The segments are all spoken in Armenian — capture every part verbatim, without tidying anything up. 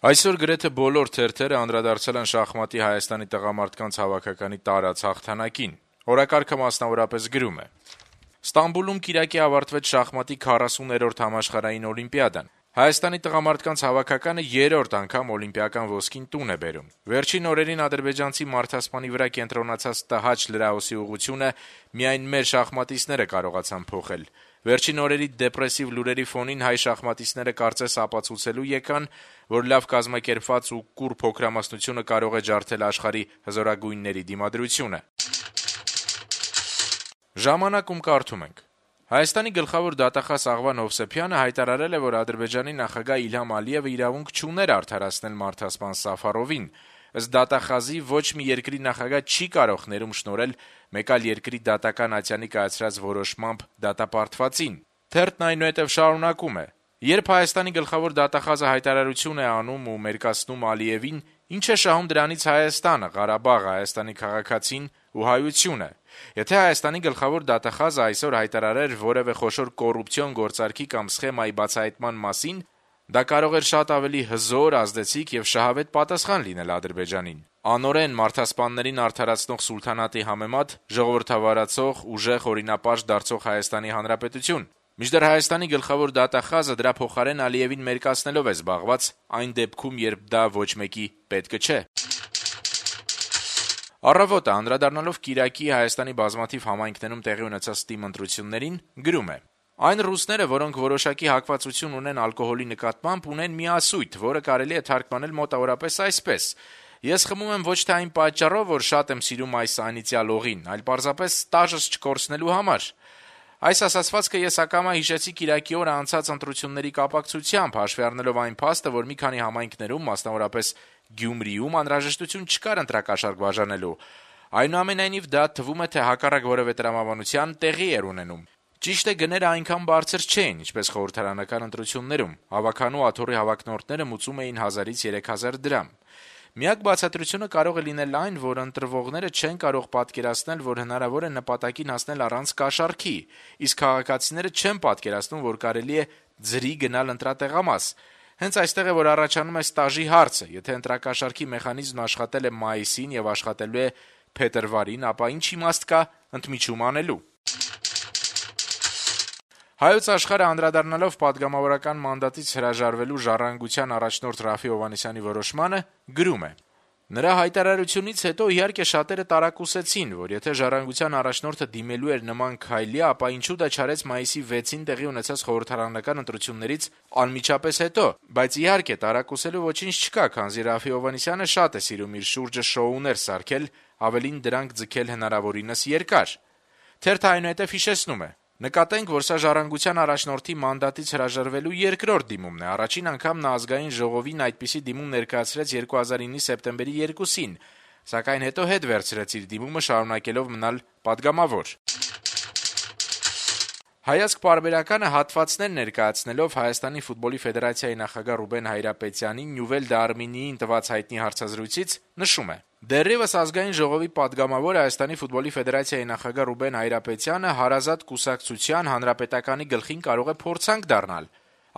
Այսօր գրեթե բոլոր թերթերը անդրադարձել են շախմատի Հայաստանի տղամարդկանց հավաքականի տարած հաղթանակին։ Օրակարգը մասնավորապես գրում է. Ստամբուլում կիրակի ավարտվեց շախմատի քառասուներորդ համաշխարհային օլիմպիադան։ Հայաստանի տղամարդկանց հավաքականը երրորդ անգամ օլիմպիական ոսկին տուն է բերում։ Վերջին օրերին ադրբեջանցի մարդասպանի վրա կենտրոնացած տհաճ լրահոսի ուղղությունը միայն մեր շախմատիստները կարողացան փոխել։ Վերջին օրերի դեպրեսիվ լուրերի ֆոնին հայ շախմատիստները կարծես ապացուցելու եկան, որ լավ կազմակերպված ու կուռ փոքրամասնությունը կարող է ջարդել աշխարհի հզորագույնների դիմադրությունը։ Ժամանակում կարդում ենք. Հայաստանի գլխավոր դատախազ Աղվան Հովսեփյանը հայտարարել է, որ Ադրբեջանի նախագահ Իլհամ Ալիևը իրավունք չուներ արդարացնել մարդասպան Սաֆարովին։ Ըստ դատախազի ոչ մի երկրի նախագահ չի կարող ներում շնորհել մեկ այլ երկրի դատական ատյանի կայացրած որոշմամբ դատապարտվածին։ Թերթն այնուհետև շարունակում է. Երբ Հայաստանի գլխավոր դատախազը հայտարարություն է անում ու մերկացնում Ալիևին, ինչ է շահում դրանից Հայաստանը, Ղարաբաղը, Հայաստանի քաղաքացին ու հայությունը։ Եթե Հայաստանի գլխավոր դատախազը այսօր հայտարարեր որևէ խոշոր կոռուպցիոն գործարքի կամ սխեմայի բացահայտման մասին, դա կարող էր շատ ավելի հզոր, ազդեցիկ եւ շահավետ պատասխան լինել Ադրբեջանին։ Անօրեն մարդասպաններին արդարացնող սուլթանատի համեմատ ժողովրդավարացող, ուժեղ օրինապաշտ դարձող Հայաստանի Հանրապետություն։ Մինչդեռ Հայաստանի գլխավոր դատախազը դրա փոխարեն Ալիևին մերկացնելով է զբաղված, այն դեպքում, երբ դա ոչ մեկի պետքը չէ։ Առավոտը, անդրադառնալով կիրակի Հայաստանի բազմաթիվ համայնքներում տեղի ունեցած ՏԻՄ ընտրություններին, գրում է. Այն ռուսները, որոնք որոշակի հակվածություն ունեն ալկոհոլի նկատմամբ, ունեն մի ասույթ, որը կարելի է թարգմանել մոտավորապես այսպես. Ես խմում եմ ոչ թե այն պատճառով, որ շատ եմ սիրում այս անիծյալ օղին, այլ պարզապես տաժս չկորցնելու համար։ Այս ասացվածքը ես ակամա հիշեցի կիրակի օրը անցած ընտրությունների կապակցությամբ, հաշվի առնելով այն փաստը, որ մի քանի համայնքներում, մասնավորապես Գյումրիում, անհրաժեշտություն չկար ընտրակաշառք բաժանելու։ Այնուամենայնիվ դա թվում է, թե հակառակ որևէ տրամաբանության տեղի էր ունենում։ Ճիշտ է, գները այնքան բարձր չէին, ինչպես խորհրդարանական ընտրություններում։ Հավաքանու աթոռի հավակնորդները մուծում էին հազարից երեք հազար դրամ։ Միակ բացատրությունը կարող է լինել այն, որ ընտրվողները չեն կարող պատկերացնել, որ հնարավոր է նպատակին հասնել առանց կաշառքի, իսկ քաղաքացիները չեն պատկերացնում, որ կարելի է ձրի գնալ ընտրատեղամաս։ Հենց այստեղ է, որ առաջանում է ստաժի հարցը։ Եթե ընտրակաշառքի մեխանիզմն աշխատել է մայիսին եւ աշխատելու է փետրվարին, ապա ինչ իմաստ կա ընդմիջում անելու։ Հայոց աշխարհը անդրադառնալով պատգամավորական մանդատից հրաժարվելու ժառանգության առաջնորդ Ռաֆի Հովհաննիսյանի որոշմանը, գրում է. Նրա հայտարարությունից հետո իհարկե շատերը տարակուսեցին, որ եթե ժառանգության առաջնորդը դիմելու էր նման քայլի, ապա ինչու դա չարեց մայիսի վեցին տեղի ունեցած խորհրդարանական ընտրություններից անմիջապես հետո, բայց իհարկե տարակուսելու ոչինչ չկա, քանզի Ռաֆի Հովհաննիսյանը շատ է սիրում իր շուրջը շոուներ սարքել, ավելին դրանք ձգել հնարավորինս երկար։ Թերթը այնուհետև հիշեցնում է. Նկատենք, որ սա ժառանգության առաջնորդի մանդատից հրաժարվելու երկրորդ դիմումն է։ Առաջին անգամ նա ազգային ժողովին այդպիսի դիմում ներկայացրեց երկու հազար իննի սեպտեմբերի երկուսին, սակայն հետո հետ վերցրեց իր դիմումը, շարունակելով մնալ պատգամավոր։ Հայացք պարբերականը հատվածներ ներկայացնելով Հայաստանի ֆուտբոլի ֆեդերացիայի նախագահ Ռուբեն Հայրապետյանին Նյուվել դե Արմենիին տված հայտնի հարցազրույցից նշում է. Դեռևս ազգային ժողովի պատգամավոր Հայաստանի ֆուտբոլի ֆեդերացիայի նախագահ Ռուբեն Հայրապետյանը հարազատ կուսակցության հանրապետականի գլխին կարող է փորձանք դառնալ։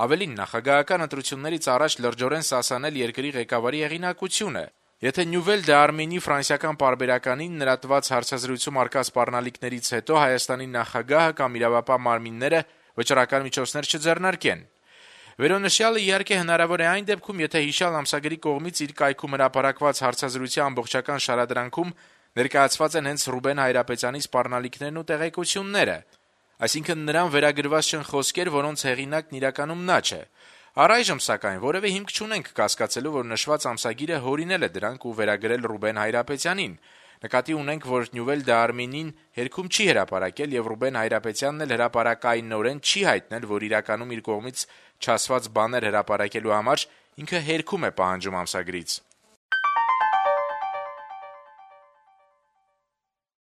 Ավելին, նախագահական ընտրություններից առաջ լրջորեն սասանել երկրի ղեկավարի հեղինակությունը։ Եթե Նյուվել դե Արմենի ֆրանսիական պարբերականին նրա տված հարցազրույցում արկա սպառնալիքներից հետո Հայաստանի նախագահը կամ իրավապահ մարմինները վճռական միջոցներ չձեռնարկեն։ Վերոնշյալը իհարկե հնարավոր է այն դեպքում, եթե հիշյալ ամսագրի կողմից իր կայքում հրապարակված հարցազրույցի ամբողջական շարադրանքում ներկայացված են հենց Ռուբեն Հայրապետյանի սպառնալիքներն ու տեղեկությունները, այսինքն նրան վերագրված չեն խոսքեր, որոնց հեղինակն իրականում նա չէ։ Առայժմ, սակայն, որևէ հիմք չունենք կասկածելու, որ նշված ամսագիրը հորինել է դրանք ու վերագրել Ռուբեն Հայրապետյանին։ Նկատի ունենք, որ Նյուվել դե Արմենին հերքում չի հրապարակել եւ Ռուբեն Հայրապետյանն էլ հրապարակայինորեն չի հայտնել, որ իրականում իր կողմից չասված բաներ հրապարակելու համար ինքը հերքում է պահանջում ամսագրից։